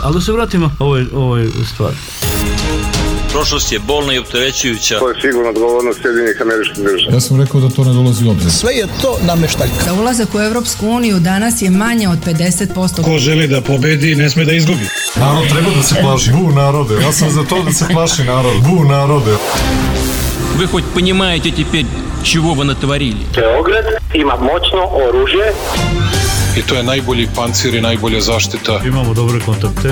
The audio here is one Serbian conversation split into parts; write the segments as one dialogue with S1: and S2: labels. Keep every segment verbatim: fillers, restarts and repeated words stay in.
S1: Ali da se vratimo ovoj, ovoj stvari.
S2: Prošlost je bolna i opterećujuća.
S3: To je sigurno odgovornost Sjedinjenih Američkih Država.
S4: Ja sam rekao da to ne dolazi u obzir.
S5: Sve je to nameštaljka.
S6: Da ulazak u Evropsku uniju danas je manje od pedeset posto.
S7: Ko želi da pobedi, ne sme da izgubi.
S4: Narod treba da se plaši. Bu narode. Ja sam za to da se plaši narod. Bu narode.
S8: Вы хоть понимаете теперь, чего вы натворили?
S9: Beograd ima moćno oružje.
S7: I to je najbolji pancir i najbolja zaštita.
S1: Imamo dobre kontakte.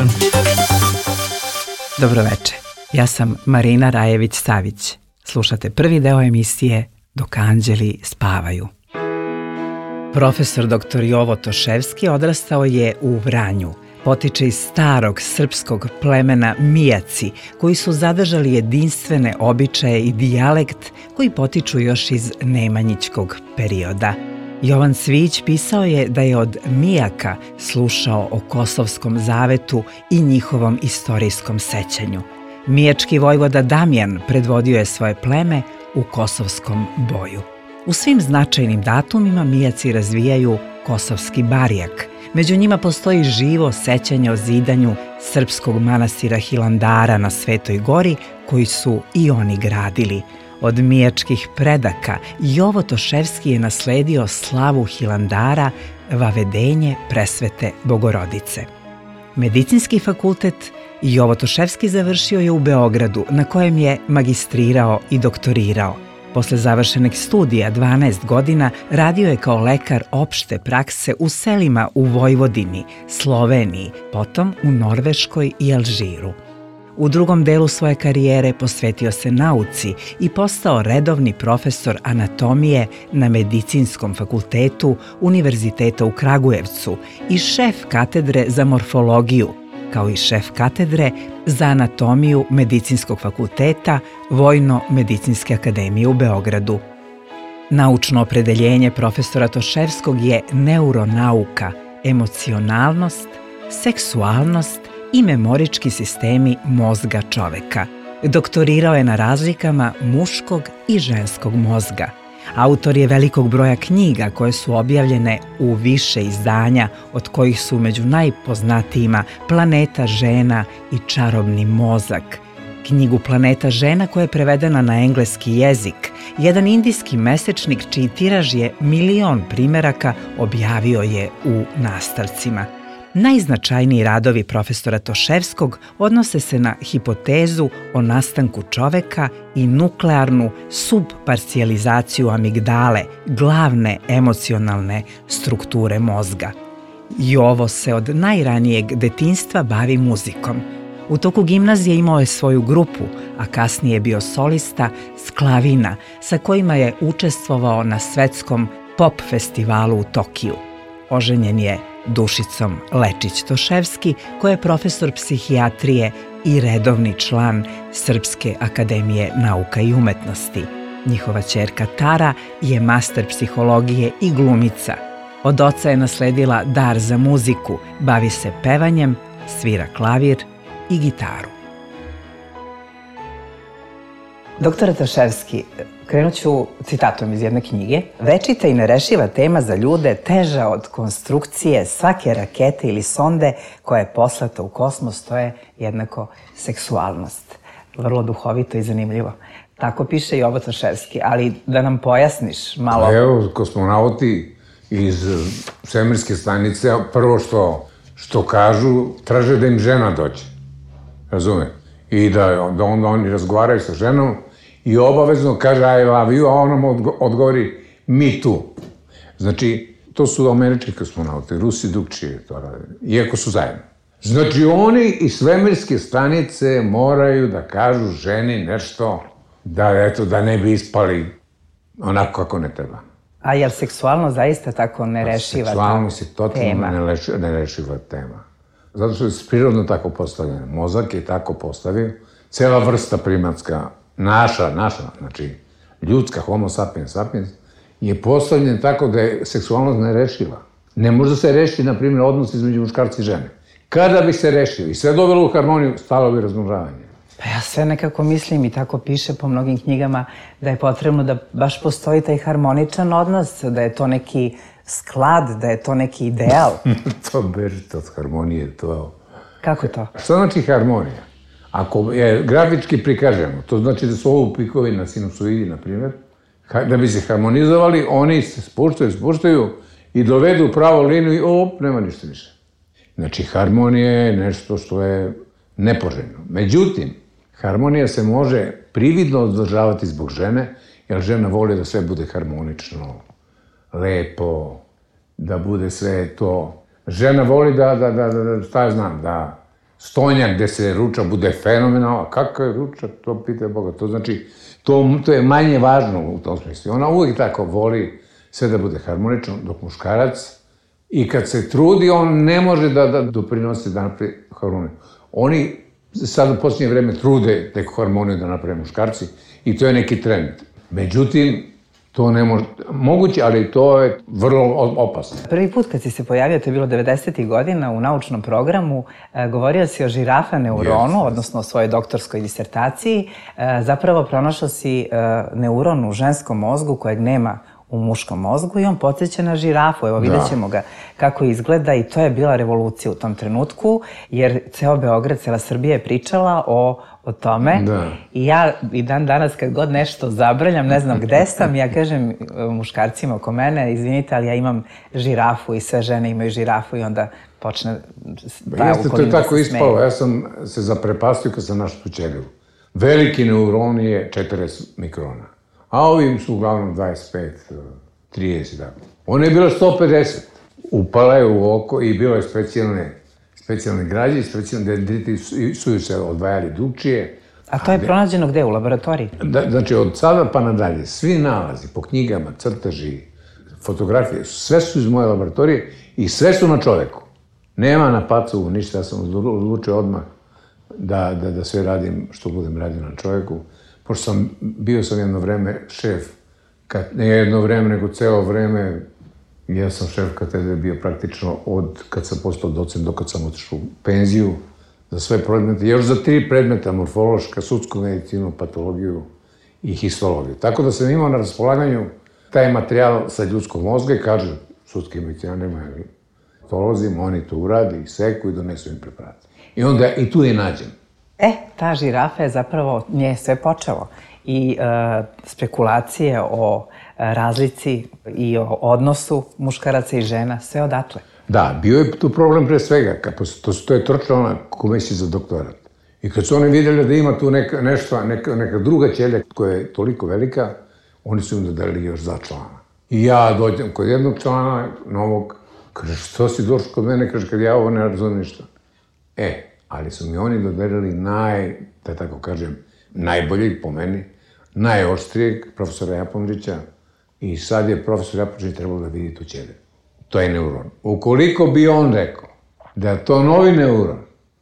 S10: Dobroveče. Ja sam Marina Rajević-Savić. Slušate prvi deo emisije Dok anđeli spavaju. Profesor doktor Jovo Toševski odrastao je u Vranju. Potiče iz starog srpskog plemena Mijaci, koji su zadržali jedinstvene običaje i dijalekt koji potiču još iz nemanjićkog perioda. Jovan Cvijić pisao je da je od Mijaka slušao o Kosovskom zavetu i njihovom istorijskom sećanju. Mijački vojvoda Damjan predvodio je svoje pleme u Kosovskom boju. U svim značajnim datumima Mijaci razvijaju kosovski barijak. Među njima postoji živo sećanje o zidanju srpskog manastira Hilandara na Svetoj gori, koji su i oni gradili. Od mijačkih predaka Jovo Toševski je nasledio slavu Hilandara, vavedenje presvete Bogorodice. Medicinski fakultet Jovo Toševski završio je u Beogradu, na kojem je magistrirao i doktorirao. Posle završenih studija dvanaest godina radio je kao lekar opšte prakse u selima u Vojvodini, Sloveniji, potom u Norveškoj i Alžiru. U drugom delu svoje karijere posvetio se nauci i postao redovni profesor anatomije na Medicinskom fakultetu Univerziteta u Kragujevcu i šef katedre za morfologiju, kao i šef katedre za anatomiju Medicinskog fakulteta Vojno-medicinske akademije u Beogradu. Naučno opredeljenje profesora Toševskog je neuronauka, emocionalnost, seksualnost i memorički sistemi mozga čoveka. Doktorirao je na razlikama muškog i ženskog mozga. Autor je velikog broja knjiga koje su objavljene u više izdanja, od kojih su među najpoznatijima Planeta žena i Čarobni mozak. Knjigu Planeta žena, koja je prevedena na engleski jezik, jedan indijski mesečnik čiji tiraž je milion primeraka, objavio je u nastavcima. Najznačajniji radovi profesora Toševskog odnose se na hipotezu o nastanku čoveka i nuklearnu subparcijalizaciju amigdale, glavne emocionalne strukture mozga. Jovo se od najranijeg detinjstva bavi muzikom. U toku gimnazije imao je svoju grupu, a kasnije je bio solista Sklavina, sa kojima je učestvovao na svetskom pop festivalu u Tokiju. Oženjen je Dušicom Lečić-Toševski, koja je profesor psihijatrije i redovni član Srpske akademije nauka i umetnosti. Njihova ćerka Tara je master psihologije i glumica. Od oca je nasledila dar za muziku, bavi se pevanjem, svira klavir i gitaru. Doktore Toševski, krenut ću citatom iz jedne knjige. Večita i nerešiva tema za ljude, teža od konstrukcije svake rakete ili sonde koja je poslata u kosmos, to je jednako seksualnost. Vrlo duhovito i zanimljivo. Tako piše Jovo Toševski, ali da nam pojasniš malo.
S11: Evo, kosmonauti iz svemirske stanice, prvo što, što kažu, traže da im žena dođe. Razume? I da, da onda oni razgovaraju sa ženom i obavezno kaže I love you, a ona mu odgovori me too. Znači, to su američki kosmonauti, Rusi drugčije to rade, iako su zajedno. Znači, oni iz svemirske stanice moraju da kažu ženi nešto da, eto, da ne bi ispali onako kako ne treba.
S10: A je li seksualno zaista tako nerešiva tema?
S11: Seksualnost je totalno nerešiva tema. Zato što je prirodno tako postavljeno. Mozak je tako postavio. Cela vrsta primatska, naša, naša, znači ljudska, homo sapiens sapiens, je postavljen tako da je seksualnost nerešiva. Ne može da se reši, na primjer, odnos između muškarca i žene. Kada bi se rešio i sve dovelo u harmoniju, stalo bi razmnožavanje.
S10: Pa ja sve nekako mislim i tako piše po mnogim knjigama da je potrebno da baš postoji taj harmoničan odnos, da je to neki sklad, da je to neki ideal?
S11: To bežite od harmonije, to...
S10: Kako to?
S11: Šta znači harmonija? Ako je grafički prikažemo, to znači da su ovo pikovi na sinusoidi, na primjer, da bi se harmonizovali, oni se spuštaju, spuštaju i dovedu pravu liniju i op, nema ništa više. Znači, harmonija je nešto što je nepoželjno. Međutim, harmonija se može prividno održavati zbog žene, jer žena voli da sve bude harmonično, lepo, da bude sve to. Žena voli da, da, da, da šta ja znam, da stonjak gde se ruča bude fenomenalno. A kakav je ručak, to pita Boga. To znači, to, to je manje važno u tom smislu. Ona uvijek tako voli sve da bude harmonično, dok muškarac, i kad se trudi, on ne može da, da doprinosi da napravi harmoniju. Oni sad u posljednje vreme trude neku harmoniju da naprave muškarci i to je neki trend. Međutim, to ne može, moguće, ali to je vrlo opasno.
S10: Prvi put kad si se pojavio, to je bilo devedesetih godina u naučnom programu, govorio si o žirafa neuronu, odnosno o svojoj doktorskoj disertaciji. Zapravo pronašao si neuron u ženskom mozgu kojeg nema u muškom mozgu i on podsjeća na žirafu. Evo, vidjet ćemo ga kako izgleda i to je bila revolucija u tom trenutku, jer ceo Beograd, cela Srbija je pričala o, o tome. I ja i dan danas kad god nešto zabrljam, ne znam gde sam, ja kažem muškarcima oko mene, izvinite, ali ja imam žirafu i sve žene imaju žirafu i onda počne ta okolina da se smeje. Jeste, to je tako ispalo. Ja sam se zaprepastio kad sam našao tu ćeliju. Veliki neuron je četrdeset mikrona. A ovim su uglavnom dvadeset pet, trideset, tako. Ona je bila sto pedeset. Upala je u oko i bilo je specijalne, specijalne građe, specijalne dendriti su se odvajali drugčije. A to je pronađeno gde? U laboratoriji?
S11: Znači, od sada pa nadalje, svi nalazi po knjigama, crteži, fotografije, sve su iz moje laboratorije i sve su na čoveku. Nema na pacovu ništa, ja sam odlučio odmah da, da, da sve radim što budem radio na čoveku. Pošto sam, bio sam jedno vreme šef, kad, ne jedno vreme, nego celo vreme, ja sam šef katedre bio praktično od kad sam postao docent do kad sam otišao u penziju za sve predmete, još za tri predmeta, morfološka, sudsku medicinu, patologiju i histologiju. Tako da sam imao na raspolaganju taj materijal sa ljudskog mozga i kaže, sudski medicina nema, patolozim, oni to uradi, seku i donesu im preparate. I onda i tu je nađen.
S10: E, ta žirafa je zapravo, nje je sve počelo. I e, spekulacije o razlici i o odnosu muškaraca i žena, sve odatle.
S11: Da, bio je tu problem pre svega, to, to je trčala na komisiji za doktorat. I kad su oni vidjeli da ima tu neka, nešto, neka, neka druga ćelija koja je toliko velika, oni su im dodali još za člana. I ja dođem kod jednog člana, novog, kaže, što si došao kod mene, kaže, kad ja ovo ne razumijem ništa. E, ali su mi oni dodelili naj, da tako kažem, najboljeg po meni, najoštrijeg profesora Japončića i sad je profesor Japončić trebalo da vidi tu ćeliju. To je neuron. Ukoliko bi on rekao da je to novi neuron,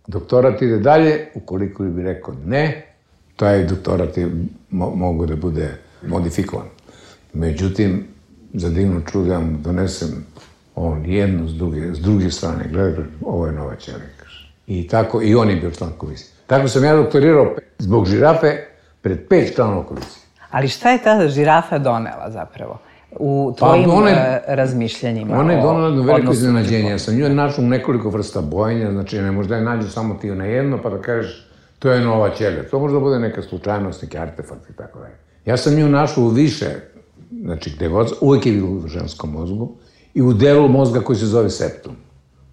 S11: doktorat ide dalje, ukoliko bi rekao ne, taj doktorat je mo mogu da bude modifikovan. Međutim, za divno čudo ja mu donesem on jednu s druge, s druge strane, gledaj, ovo je nova ćelija. I tako, i on je bio član komisije. Tako sam ja doktorirao zbog žirafe pred pet članova komisije.
S10: Ali šta je ta žirafa donela zapravo u tvojim pa one, razmišljanjima?
S11: Ona je donela jedno veliko iznenađenje. Ja sam nju našao nekoliko vrsta bojenja, znači ne možda je nađu samo ti na jedno pa da kažeš to je nova ćelija. To možda bude neka slučajnost, neki artefakt i tako dalje. Ja sam nju našao u više, znači gde god, uvijek je bilo u ženskom mozgu i u delu mozga koji se zove septum.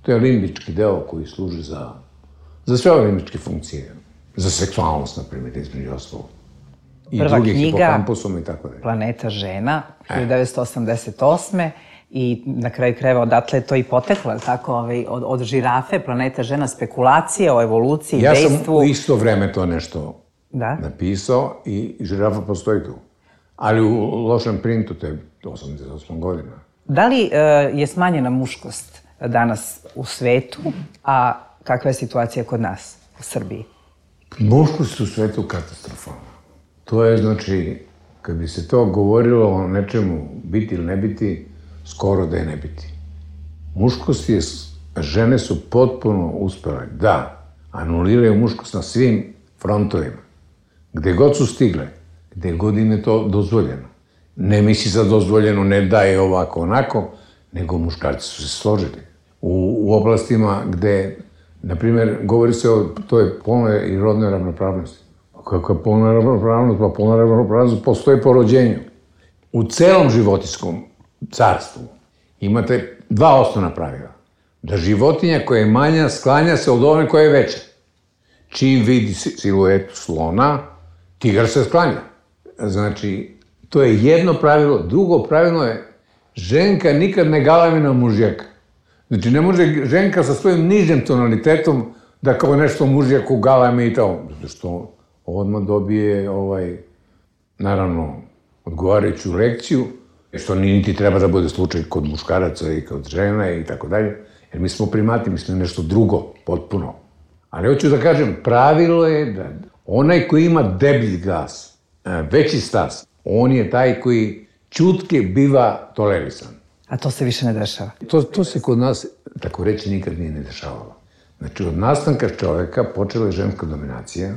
S11: To je limbički deo koji služi za, za sve ove limbičke funkcije. Za seksualnost, na primjer, između ostalog. I
S10: prva
S11: drugih
S10: knjiga
S11: hipokampusom i tako dalje.
S10: Planeta žena, hiljadu devetsto osamdeset osme i na kraju krajeva odatle je to i poteklo, tako, ovaj, od, od žirafe, Planeta žena, spekulacije o evoluciji,
S11: ja
S10: dejstvu.
S11: Ja sam u isto vreme to nešto
S10: da?
S11: napisao i žirafa postoji tu. Ali u lošem printu, to je osamdeset osma godina.
S10: Da li e, je smanjena muškost danas u svetu, a kakva je situacija kod nas u Srbiji?
S11: Muškost u svetu katastrofalna. To je, znači, kad bi se to govorilo o nečemu biti ili ne biti, skoro da je ne biti. Muškost je, žene su potpuno uspele da anuliraju muškost na svim frontovima. Gde god su stigle, gde god im je to dozvoljeno. Ne misli za dozvoljeno, ne daje ovako, onako, nego muškarci su se složili. U, u oblastima gde, na primjer, govori se o toj polnoj i rodnoj ravnopravnosti. Kako je polna ravnopravnost? Pa polna ravnopravnost postoji po rođenju. U celom životinjskom carstvu imate dva osnovna pravila. Da životinja koja je manja sklanja se od one koja je veća. Čim vidi siluetu slona, tigar se sklanja. Znači, to je jedno pravilo. Drugo pravilo je, ženka nikad ne galami na mužjaka. Znači, ne može ženka sa svojim nižim tonalitetom da kao nešto mužjaku galami i to. Zato što odmah dobije, ovaj, naravno, odgovarajuću lekciju, što niti treba da bude slučaj kod muškaraca i kod žena i tako dalje. Jer mi smo primati, mi smo nešto drugo, potpuno. Ali hoću da kažem, pravilo je da onaj koji ima deblji glas, veći stas, on je taj koji ćutke biva tolerisan.
S10: A to se više ne dešava?
S11: To, to se kod nas, tako reći, nikad nije ne dešavalo. Znači, od nastanka čoveka počela je ženska dominacija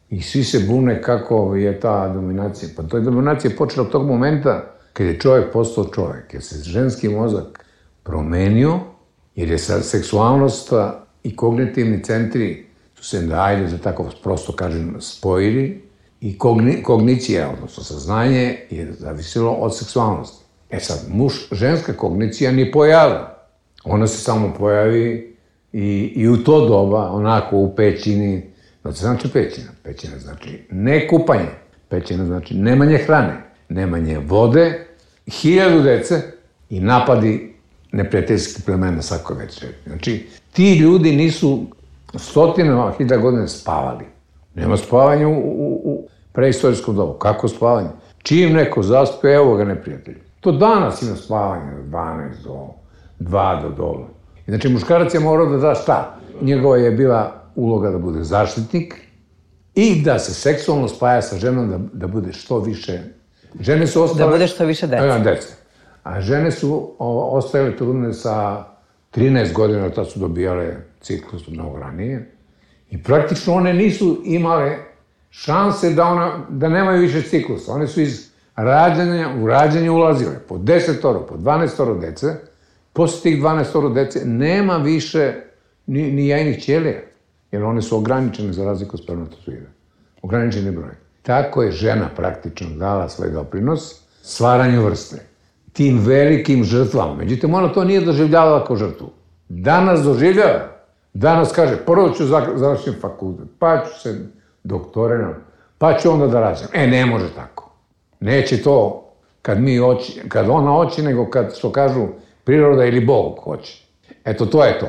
S11: i svi se bune kako je ta dominacija. Pa to je dominacija počela od tog momenta kad je čovek postao čovek, jer se ženski mozak promenio, jer je sad seksualnost i kognitivni centri su se, da ajde da tako prosto kažem, spojili i kogni, kognicija, odnosno saznanje, je zavisilo od seksualnosti. E sad, muž, ženska kognicija ni pojavila. Ona se samo pojavi i, i u to doba, onako u pećini, znači znači pećina. Pećina znači ne kupanje, pećina znači nemanje hrane, nemanje vode, hiljadu dece i napadi neprijateljskih plemena svako večer. Znači, ti ljudi nisu stotinama hiljada godina spavali. Nema spavanja u, u, u preistorijskom dobu. Kako spavanje? Čim neko zaspe, evo ga neprijatelj. To danas ima spavanje od dvanaest do dva do dola. Znači, muškarac je morao da da šta? Njegova je bila uloga da bude zaštitnik i da se seksualno spaja sa ženom, da, da bude što više. Žene su ostale...
S10: Da bude što više dece.
S11: Da, dece. A žene su o, ostajale trudne sa trinaest godina, tad su dobijale ciklus mnogo ranije. I praktično one nisu imale šanse da, ona, da nemaju više ciklusa. One su iz rađanja u rađanje ulazile po desetoro, po dvanaestoro dece. Posle tih dvanaestoro dece nema više ni, ni jajnih ćelija, jer one su ograničene za razliku od spermatozoida. Ograničeni broj. Tako je žena praktično dala svoj doprinos stvaranju vrste. Tim velikim žrtvama. Međutim, ona to nije doživljavala kao žrtvu. Danas doživljava. Danas kaže, prvo ću završiti fakultet, pa ću se doktoriram, pa ću onda da rađam. E, ne može tako. Neće to kad mi hoće, kad ona hoće, nego kad, što kažu, priroda ili Bog hoće. Eto, to je to.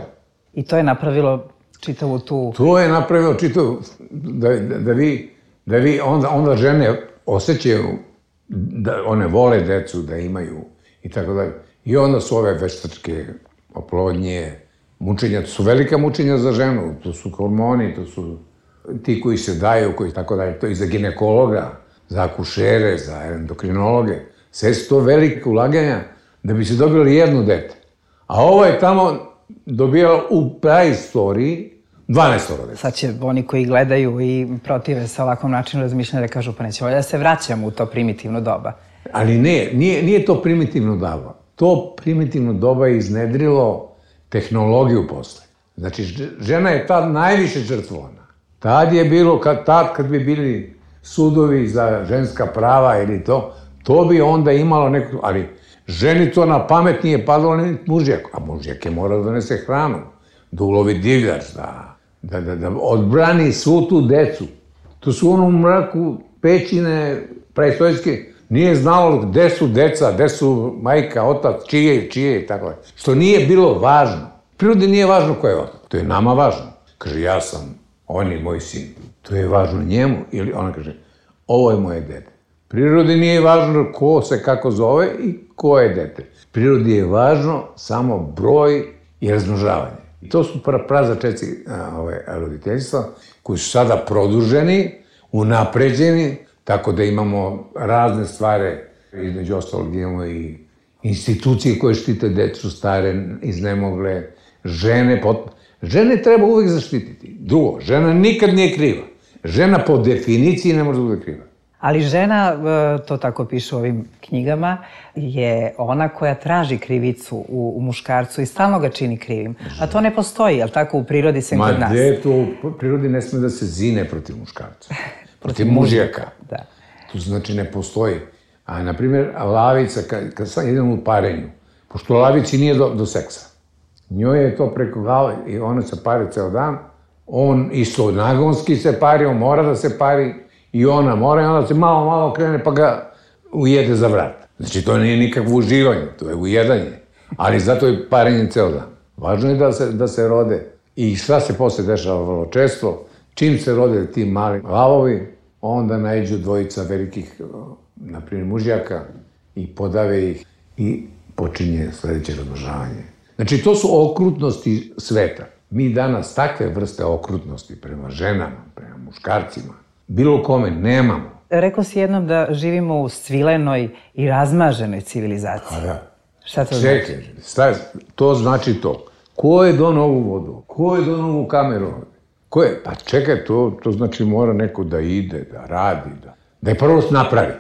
S10: I to je napravilo čitavu tu...
S11: To je napravilo čitavu, da, da, da vi, da vi onda, onda žene osjećaju da one vole decu, da imaju i tako dalje. I onda su ove veštačke oplodnje, mučenja, to su velika mučenja za ženu, to su hormoni, to su ti koji se daju, koji tako dalje, to i za ginekologa, za akušere, za endokrinologe. Sve su to velike ulaganja da bi se dobili jedno dete. A ovo je tamo dobijalo u praistoriji dvanaestoro dete.
S10: Sad će oni koji gledaju i protive sa ovakvom načinu razmišljanja da kažu pa nećemo da se vraćamo u to primitivno doba.
S11: Ali ne, nije, nije to primitivno doba. To primitivno doba je iznedrilo tehnologiju posle. Znači, žena je tad najviše žrtvovana. Tad je bilo, kad, tad kad bi bili sudovi za ženska prava ili to, to bi onda imalo neku... Ali ženi to na pamet nije padalo ni mužjak. A mužjak je morao da donese hranu, da ulovi divljač, da, da, da, da odbrani svu tu decu. To su u onom mraku pećine preistorijske, nije znalo gde su deca, gde su majka, otac, čije, čije i tako. Što nije bilo važno. Prirodi nije važno ko je otac. To je nama važno. Kaže, ja sam, on je moj sin. To je važno njemu. Ili ona kaže, ovo je moje dete. Prirodi nije važno ko se kako zove i ko je dete. Prirodi je važno samo broj i razmnožavanje. I to su pra, prazačeci ove, roditeljstva koji su sada produženi, unapređeni, tako da imamo razne stvari, između ostalog imamo i institucije koje štite decu stare, iznemogle, žene. Pot... Žene treba uvek zaštititi. Drugo, žena nikad nije kriva. Žena po definiciji ne može da bude kriva.
S10: Ali žena, to tako piše u ovim knjigama, je ona koja traži krivicu u, u muškarcu i stalno ga čini krivim. A to ne postoji, jel tako, u prirodi sem kod nas?
S11: Ma gde to, u prirodi ne sme da se zine protiv muškarca. Protiv mužjaka.
S10: Da.
S11: To znači ne postoji. A, na primjer, lavica, kad, kad sam jedan u parenju, pošto lavici nije do, do seksa, njoj je to preko glave i ona se pari ceo dan, on isto nagonski se pari, on mora da se pari, i ona mora, i onda se malo, malo krene pa ga ujede za vrat. Znači, to nije nikakvo uživanje, to je ujedanje. Ali zato je parenje ceo dan. Važno je da se, da se rode. I šta se posle dešava vrlo često, čim se rode ti mali lavovi, onda naiđu dvojica velikih, na primjer, mužjaka i podave ih i počinje sledeće razmnožavanje. Znači, to su okrutnosti sveta. Mi danas takve vrste okrutnosti prema ženama, prema muškarcima, bilo kome nemamo.
S10: Rekao si jednom da živimo u svilenoj i razmaženoj civilizaciji.
S11: Pa da.
S10: Šta to znači?
S11: Čekaj, šta, to znači to. Ko je donao ovu vodu? Ko je donao ovu kameru? Ko je? Pa čekaj, to, to znači mora neko da ide, da radi, da, da je prvo napravi.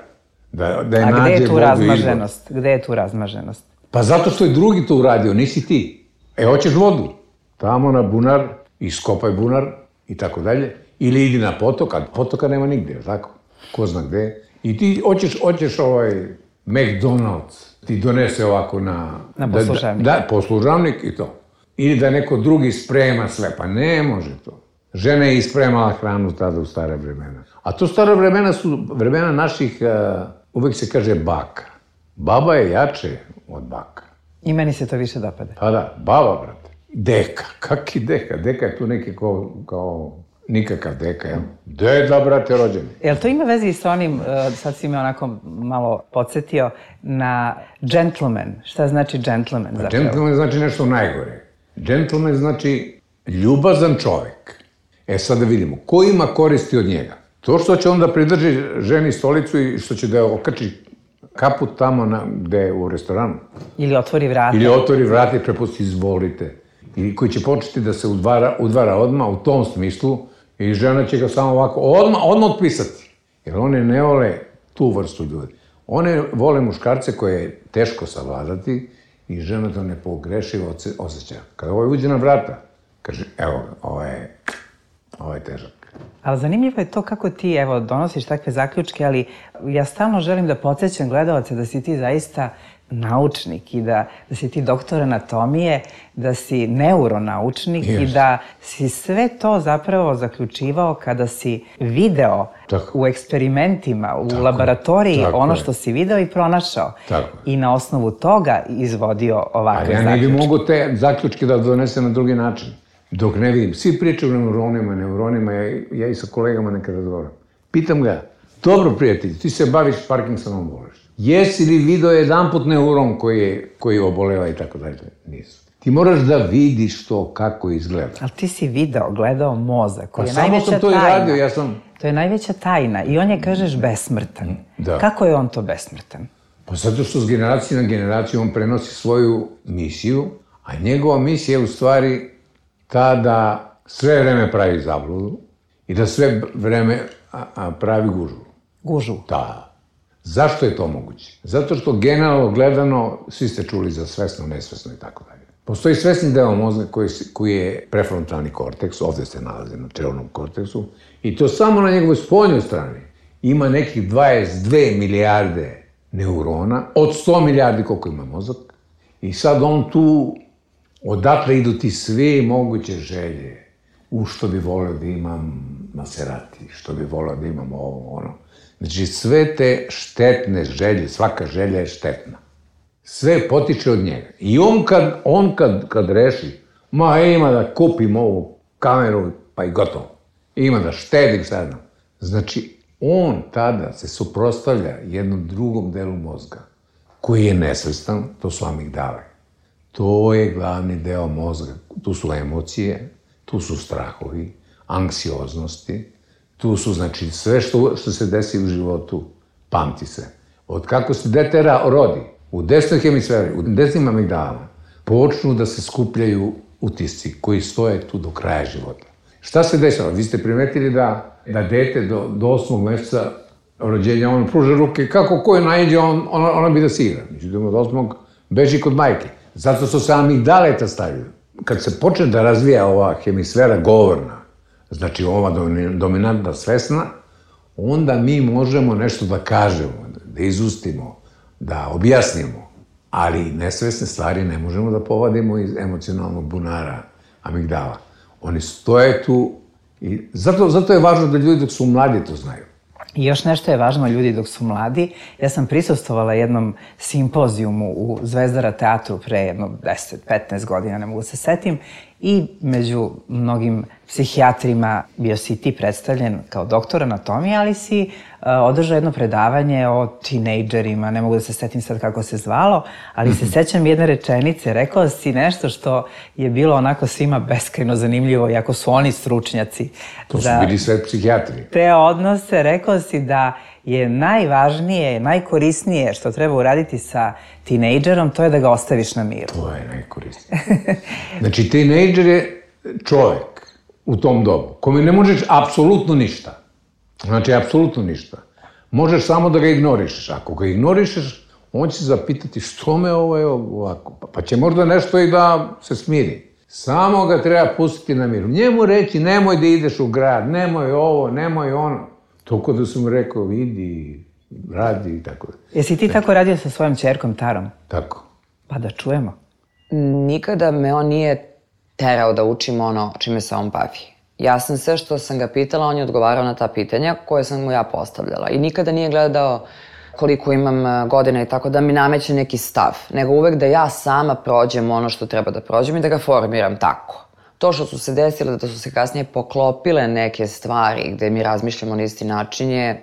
S11: Da, da je
S10: A gde je tu
S11: Bogu
S10: razmaženost? Gde je tu razmaženost?
S11: Pa zato što je drugi to uradio, nisi ti. E, hoćeš vodu? Tamo na bunar, iskopaj bunar i tako dalje. Ili idi na potok, a potoka nema nigde, tako? Ko zna gde. I ti hoćeš, hoćeš ovaj McDonald's, ti donese ovako na...
S10: Na poslužavnik.
S11: Da, da, poslužavnik i to. Ili da neko drugi sprema sve, pa ne može to. Žena je ispremala hranu tada u stare vremena. A to stare vremena su vremena naših, uh, uvek se kaže baka. Baba je jače od baka.
S10: I meni se to više dopada.
S11: Pa da, baba, brate. Deka, kaki deka? Deka je tu neki kao, kao nikakav deka, jel? Deda, brate, rođeni.
S10: Jel to ima veze i sa onim, sad si me onako malo podsjetio, na gentleman? Šta znači gentleman zapravo?
S11: Gentleman znači nešto najgore. Gentleman znači ljubazan čovek. E sad da vidimo, ko ima koristi od njega? To što će onda pridrži ženi stolicu i što će da je okači kaput tamo na, gde je u restoranu.
S10: Ili otvori vrata.
S11: Ili otvori vrata i prepusti izvolite. Ili koji će početi da se udvara, udvara odmah u tom smislu i žena će ga samo ovako odmah, odmah otpisati. Jer one ne vole tu vrstu ljudi. One vole muškarce koje je teško savladati i žena to nepogrešivo osjeća. Kada ovaj uđe na vrata, kaže, evo, ovo je, ovo je težak.
S10: Ali zanimljivo je to kako ti, evo, donosiš takve zaključke, ali ja stalno želim da podsjećam gledalce da si ti zaista naučnik i da, da si ti doktor anatomije, da si neuronaučnik yes. i da si sve to zapravo zaključivao kada si video tako. U eksperimentima, u tako. Laboratoriji tako ono što si video i pronašao. Tako. I na osnovu toga izvodio ovakve zaključke.
S11: A ja ne bi mogu te zaključke da donesem na drugi način. Dok ne vidim, svi pričaju o neuronima, neuronima, ja, ja i sa kolegama nekada razgovaram. Pitam ga, dobro prijatelj, ti se baviš Parkinsonom bolešću. Jesi li video jedan put neuron koji, je, koji oboleva i tako dalje? Nisu. Ti moraš da vidiš to kako izgleda.
S10: Ali ti si video, gledao mozak, koji
S11: pa
S10: je najveća tajna.
S11: Samo sam to i radio, ja sam...
S10: To je najveća tajna i on je, kažeš, besmrtan.
S11: Da.
S10: Kako je on to besmrtan?
S11: Pa zato što s generacije na generaciju on prenosi svoju misiju, a njegova misija je u stvari ta da sve vreme pravi zabludu i da sve vreme a, a, pravi gužu.
S10: Gužu?
S11: Da. Zašto je to moguće? Zato što generalno gledano, svi ste čuli za svesno, nesvesno i tako dalje. Postoji svesni deo mozga koji, koji je prefrontalni korteks, ovde se nalazi na čelnom korteksu, i to samo na njegovoj spoljnoj strani ima nekih dvadeset dve milijarde neurona, od sto milijardi koliko ima mozak, i sad on tu, odatle idu ti sve moguće želje, u što bi volio da imam Maserati, što bi volio da imam ovo, ono. Znači, sve te štetne želje, svaka želja je štetna. Sve potiče od njega. I on kad, on kad, kad reši, ma ima da kupim ovu kameru, pa i gotovo. Ima da štedim sad. Znači, on tada se suprotstavlja jednom drugom delu mozga, koji je nesvestan, to su amigdale. To je glavni deo mozga. Tu su emocije, tu su strahovi, anksioznosti, tu su, znači, sve što, što se desi u životu, pamti se. Od kako se dete rodi, u desnoj hemisferi, u desnim amigdalama, počnu da se skupljaju utisci koji stoje tu do kraja života. Šta se dešava? Vi ste primetili da, da dete do, do osmog meseca rođenja, on pruže ruke, kako ko je naiđe, on, ona, ona bi da se igra. Međutim, od osmog beži kod majke. Zato su se amigdaleta stavili. Kad se počne da razvija ova hemisfera govorna, znači ova dominantna svesna, onda mi možemo nešto da kažemo, da izustimo, da objasnimo, ali nesvesne stvari ne možemo da povadimo iz emocionalnog bunara amigdala. Oni stoje tu i zato, zato je važno da ljudi dok su mladi to znaju.
S10: I još nešto je važno ljudi dok su mladi. Ja sam prisustvovala jednom simpozijumu u Zvezdara teatru pre jedno deset petnaest godina, ne mogu se setim, i među mnogim psihijatrima bio si ti predstavljen kao doktor anatomije, ali si uh, održao jedno predavanje o tinejdžerima, ne mogu da se setim sad kako se zvalo, ali se sećam jedne rečenice, rekao si nešto što je bilo onako svima beskrajno zanimljivo, iako su oni stručnjaci.
S11: To su bili sve psihijatri.
S10: Te odnose, rekao si da je najvažnije, najkorisnije što treba uraditi sa tinejdžerom, to je da ga ostaviš na miru.
S11: To je najkorisnije. Znači, tinejdžer je čovjek u tom dobu, kome ne možeš apsolutno ništa. Znači, apsolutno ništa. Možeš samo da ga ignorišeš. Ako ga ignorišeš, on će se zapitati što me ovo je ovako. Pa će možda nešto i da se smiri. Samo ga treba pustiti na miru. Njemu reći, nemoj da ideš u grad, nemoj ovo, nemoj ono. Toliko da sam mu rekao, vidi, radi i tako.
S10: Jesi ti tako radio sa svojom ćerkom Tarom?
S11: Tako.
S10: Pa da čujemo.
S5: Nikada me on nije terao da učim ono čime se on bavi. Ja sam sve što sam ga pitala, on je odgovarao na ta pitanja koje sam mu ja postavljala. I nikada nije gledao koliko imam godina i tako da mi nameće neki stav. Nego uvek da ja sama prođem ono što treba da prođem i da ga formiram tako. To što su se desile, da su se kasnije poklopile neke stvari gde mi razmišljamo na isti način je,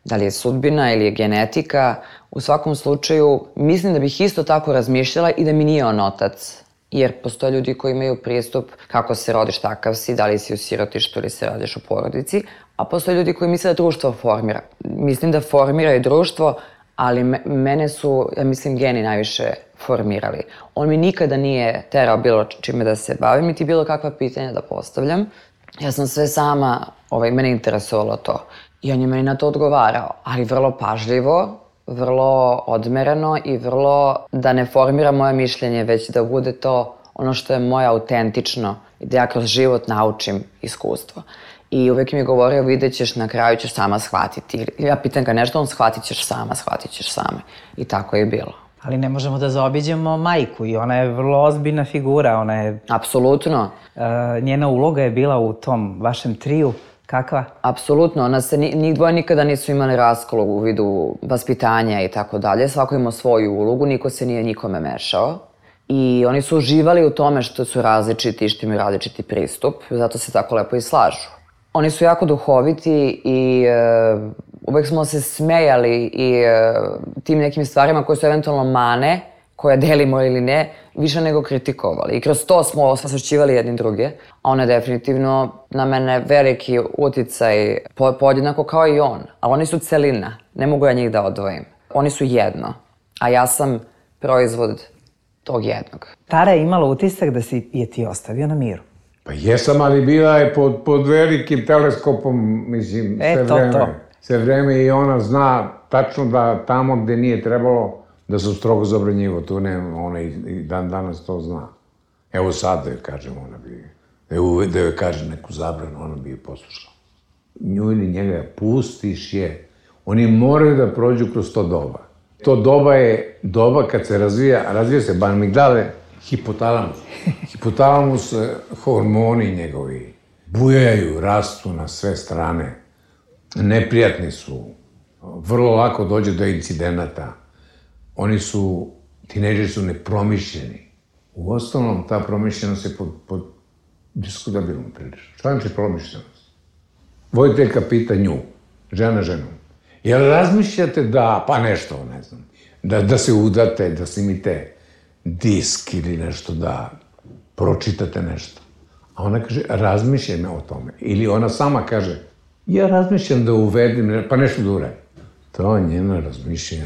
S5: da li je sudbina ili je genetika, u svakom slučaju mislim da bih isto tako razmišljala i da mi nije on otac. Jer postoje ljudi koji imaju pristup kako se rodiš takav si, da li si u sirotištu ili se radiš u porodici, a postoje ljudi koji misle da društvo formira. Mislim da formira i društvo, ali mene su, ja mislim, geni najviše formirali. On mi nikada nije terao bilo čime da se bavim, niti bilo kakva pitanja da postavljam. Ja sam sve sama, ovaj, mene interesovalo to. I on je meni na to odgovarao, ali vrlo pažljivo, vrlo odmereno i vrlo da ne formira moje mišljenje, već da bude to ono što je moje autentično i da ja kroz život naučim iskustvo. I uvek mi je govorio, vidjet ćeš, na kraju ćeš sama shvatiti. Ja pitam ga nešto, on shvatit ćeš sama, shvatit ćeš same. I tako je bilo.
S10: Ali ne možemo da zaobiđemo majku i ona je vrlo ozbiljna figura, ona je...
S5: Apsolutno.
S10: Njena uloga je bila u tom vašem triju, kakva?
S5: Apsolutno, ona se, njih dvoje nikada nisu imali raskol u vidu vaspitanja i tako dalje. Svako imao svoju ulogu, niko se nije nikome mešao. I oni su uživali u tome što su različiti i što imaju različiti pristup, zato se tako lepo i slažu. Oni su jako duhoviti i uh, uvek smo se smejali i uh, tim nekim stvarima koje su eventualno mane, koje delimo ili ne, više nego kritikovali. I kroz to smo osvećivali jedni druge. A ona je definitivno na mene veliki uticaj, podjednako kao i on. Ali oni su celina, ne mogu ja njih da odvojim. Oni su jedno, a ja sam proizvod tog jednog.
S10: Tara je imala utisak da si je ti ostavio na miru.
S11: Pa jesam, ali bila je pod, pod velikim teleskopom, mislim,
S10: e,
S11: sve
S10: to,
S11: vreme.
S10: To.
S11: Sve vreme i ona zna tačno da tamo gde nije trebalo da se strogo zabranjivo. Tu ne, ona i, i dan danas to zna. Evo sad da joj kažem, ona bi, evo da joj kaže neku zabranu, ona bi je poslušala. Nju ili njega pustiš je. Oni moraju da prođu kroz to doba. To doba je doba kad se razvija, razvija se amigdale, hipotalamus. Hipotalamus, hormoni njegovi bujaju, rastu na sve strane. Neprijatni su. Vrlo lako dođe do incidenata. Oni su, tinejdžeri su nepromišljeni. U osnovnom, ta promišljenost je pod, pod diskutabilnom prilično. Šta znači promišljenost? Voditeljka pita nju, žena ženu. Jel razmišljate da, pa nešto, ne znam, da, da se udate, da snimite disk ili nešto, da pročitate nešto. A ona kaže, razmišljam o tome. Ili ona sama kaže, ja razmišljam da uvedim, pa nešto da uradim. To je njena razmišljanja,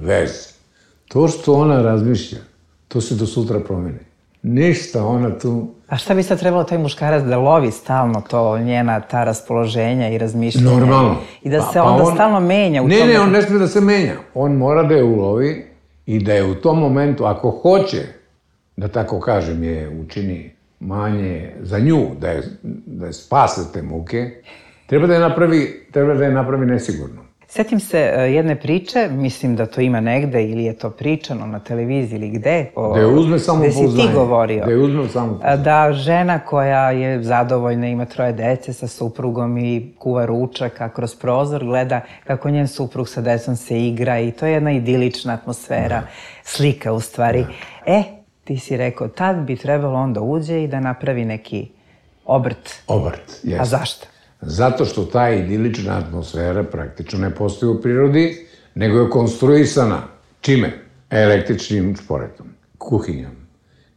S11: vez. To što ona razmišlja, to se do sutra promeni. Ništa, ona tu...
S10: A šta bi sad trebalo taj muškarac da lovi stalno to, njena ta raspoloženja i razmišljanja?
S11: Normalno.
S10: I da se onda stalno menja u tome?
S11: Ne, ne, on ne smije da se menja. On mora da je ulovi i da je u tom momentu, ako hoće, da tako kažem, je učini manje za nju, da je, da je spase te muke, treba da je napravi, treba da je napravi nesigurno.
S10: Setim se jedne priče, mislim da to ima negde ili je to pričano na televiziji ili gde.
S11: Da je uzme samopouzdanje.
S10: Gde si ti govorio.
S11: Da je uzme samopouzdanje.
S10: Da žena koja je zadovoljna, ima troje dece sa suprugom i kuva ručak, a kroz prozor gleda kako njen suprug sa decom se igra i to je jedna idilična atmosfera, slika u stvari. E, ti si rekao, tad bi trebalo onda uđe i da napravi neki obrt.
S11: Obrt, jes.
S10: A zašto?
S11: Zato što ta idilična atmosfera praktično ne postoji u prirodi, nego je konstruisana. Čime? Električnim šporetom, kuhinjom,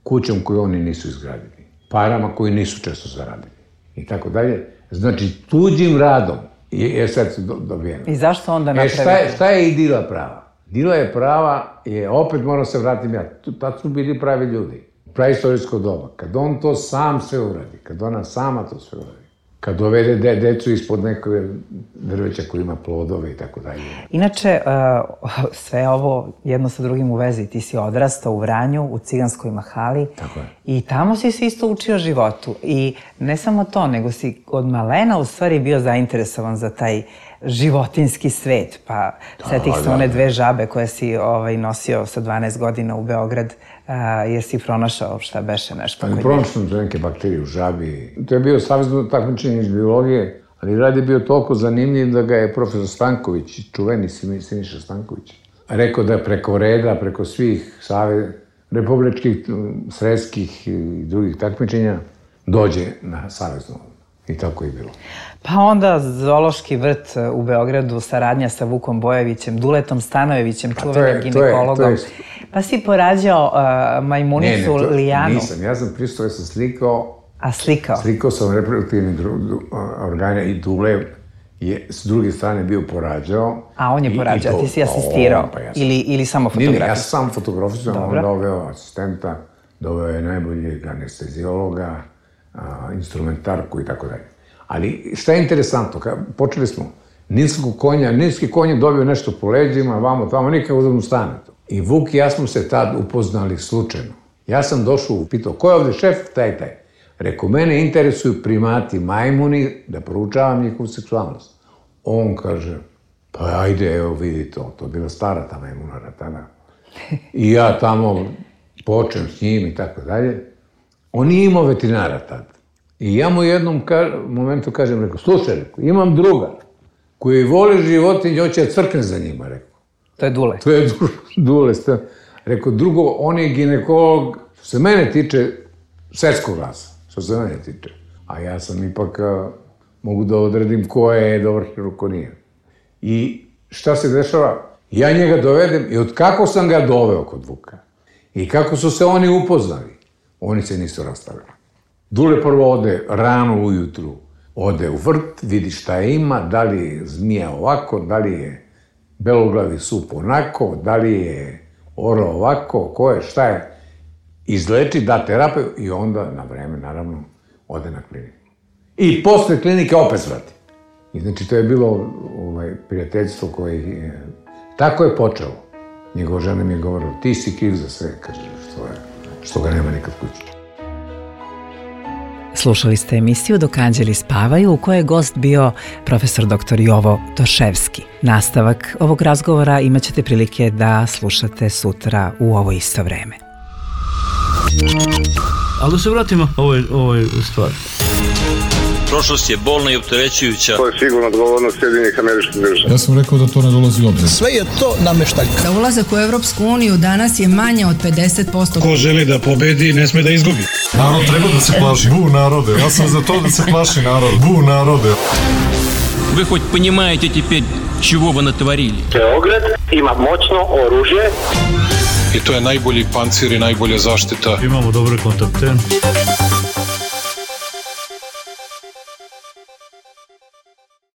S11: kućom koju oni nisu izgradili, parama koji nisu često zaradili i tako dalje. Znači, tuđim radom je sad se dobijeno.
S10: I zašto onda napraviti?
S11: E, šta je, šta je idila prava? Idila je prava, je, opet moram se vratim ja, tad su bili pravi ljudi. Praistorijsko doba. Kad on to sam sve uradi, kad ona sama to sve uradi, kad dovede de, decu ispod nekog drveća koji ima plodove i tako dalje.
S10: Inače, uh, sve ovo jedno sa drugim u vezi. Ti si odrastao u Vranju, u Ciganskoj mahali.
S11: Tako je.
S10: I tamo si se isto učio životu. I ne samo to, nego si od malena u stvari bio zainteresovan za taj životinski svet. Pa setih se one dve žabe koje si ovaj, nosio sa dvanaest godina u Beograd. Uh, jer si pronašao šta beše nešto?
S11: Ali pronašao sam neke bakterije u žabi. To je bio savezno takmičenje iz biologije, ali rad je bio toliko zanimljiv da ga je profesor Stanković, čuveni Siniša Stanković, rekao da preko reda, preko svih save, republičkih, sredskih i drugih takmičenja dođe na savezno. I tako je bilo.
S10: Pa onda zoološki vrt u Beogradu, saradnja sa Vukom Bojevićem, Duletom Stanojevićem, čuvenim ginekologom. Pa si porađao uh, majmunicu
S11: ne, ne, to,
S10: Lijanu.
S11: Nisam, ja sam pristao, ja sam slikao...
S10: A slikao?
S11: Slikao sam reproduktivni organe i Dule je s druge strane bio porađao.
S10: A on je porađao, ti si asistirao?
S11: Pa ja
S10: ili, ili samo fotografisao?
S11: Ne, ja sam fotografisao, on doveo asistenta, doveo je najboljeg anestezijologa, a, instrumentarku i tako dalje. Ali šta je interesantno, počeli smo, niskog konja, niski konj je dobio nešto po leđima, vamo, tamo, nikako da mu stane to. I Vuk i ja smo se tad upoznali slučajno. Ja sam došao, pitao, ko je ovde šef? Taj, taj. Rekao, mene interesuju primati majmuni da proučavam njihovu seksualnost. On kaže, pa ajde, evo vidi to, to je bila stara ta majmuna ratana. I ja tamo počnem s njim i tako dalje. On nije imao veterinara tad. I ja mu u jednom momentu kažem, rekao, slušaj, rekao, imam druga koji voli životinje, hoće da crkne za njima, rekao.
S10: To je Dule.
S11: To je Dule. Rekao, drugo, on je ginekolog, što se mene tiče, svetskog glasa, što se mene tiče. A ja sam ipak, mogu da odredim ko je dobar hirurg, ko nije. I šta se dešava? Ja njega dovedem i od kako sam ga doveo kod Vuka i kako su se oni upoznali, oni se nisu rastavili. Dule prvo ode rano ujutru, ode u vrt, vidi šta ima, da li je zmija ovako, da li je beloglavi sup onako, da li je oro ovako, ko je, šta je. Izleči, da terapiju i onda na vreme, naravno, ode na kliniku. I posle klinike opet svrati. I znači to je bilo ovaj, prijateljstvo koje je... Tako je počelo. Njegova žena mi je govorila, ti si kriv za sve, kaže, što, je, što ga nema nikad kući.
S10: Slušali ste emisiju Dok anđeli spavaju u kojoj je gost bio profesor doktor Jovo Toševski. Nastavak ovog razgovora imat ćete prilike da slušate sutra u ovo isto vreme.
S1: Ali da se vratimo ovoj, ovoj stvari.
S2: Prošlost je bolna i opterećujuća.
S3: To je sigurno odgovornost Sjedinjenih Američkih Država.
S4: Ja sam rekao da to ne dolazi u obzir.
S12: Sve je to nameštaljka.
S6: Za ulazak u Evropsku uniju danas je manje od pedeset posto.
S12: Ko želi da pobedi, ne sme da izgubi.
S4: Narod treba da se plaši. Bu narode, ja sam za to da se plaši narod. Bu narode.
S8: Вы хоть понимаете теперь, чего вы натворили?
S9: Beograd ima moćno oružje.
S7: I to je najbolji pancir i najbolja zaštita.
S1: Imamo dobre kontakte.